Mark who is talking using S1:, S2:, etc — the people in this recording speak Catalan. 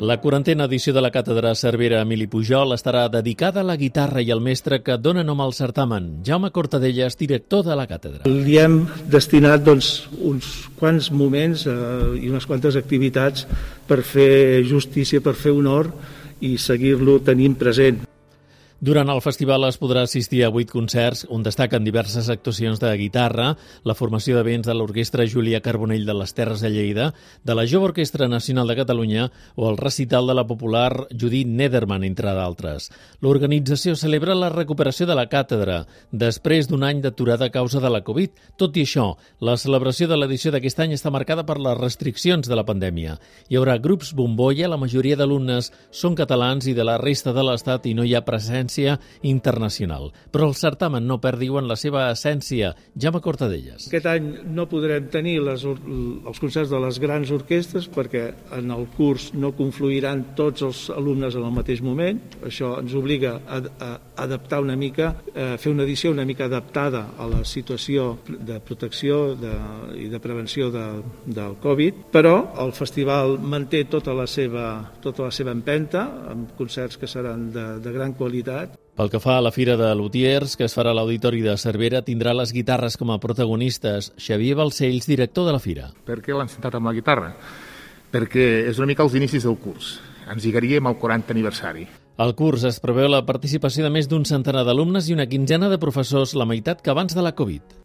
S1: La 40a edició de la Càtedra Cervera Emili Pujol estarà dedicada a la guitarra i al mestre que dona nom al certamen, Jaume Cortadellas, director de la càtedra.
S2: Li hem destinat uns quants moments i unes quantes activitats per fer justícia, per fer honor i seguir-lo tenint present.
S1: Durant el festival es podrà assistir a 8 concerts on destaquen diverses actuacions de guitarra, la formació de vents de l'Orquestra Julià Carbonell de les Terres de Lleida, de la Jove Orquestra Nacional de Catalunya o el recital de la popular Judit Nederman, entre d'altres. L'organització celebra la recuperació de la càtedra després d'un any d'aturada a causa de la Covid. Tot i això, la celebració de l'edició d'aquest any està marcada per les restriccions de la pandèmia. Hi haurà grups bombolla, la majoria d'alumnes són catalans i de la resta de l'Estat i no hi ha presència internacional. Però el certamen no perd, diuen, la seva essència. Jaume Cortadellas.
S2: Aquest any no podrem tenir els concerts de les grans orquestres perquè en el curs no confluiran tots els alumnes en el mateix moment. Això ens obliga a adaptar una mica, a fer una edició una mica adaptada a la situació de protecció i de prevenció del Covid, però el festival manté tota la seva empenta, amb concerts que seran de gran qualitat.
S1: Pel que fa a la Fira de Lutiers, que es farà a l'Auditori de Cervera, tindrà les guitarres com a protagonistes. Xavier Balcells, director de la Fira.
S3: Per què l'han sentat amb la guitarra? Perquè és una mica els inicis del curs. Ens lligaríem al 40 aniversari.
S1: Al curs es preveu la participació de més d'un centenar d'alumnes i una quinzena de professors, la meitat que abans de la Covid.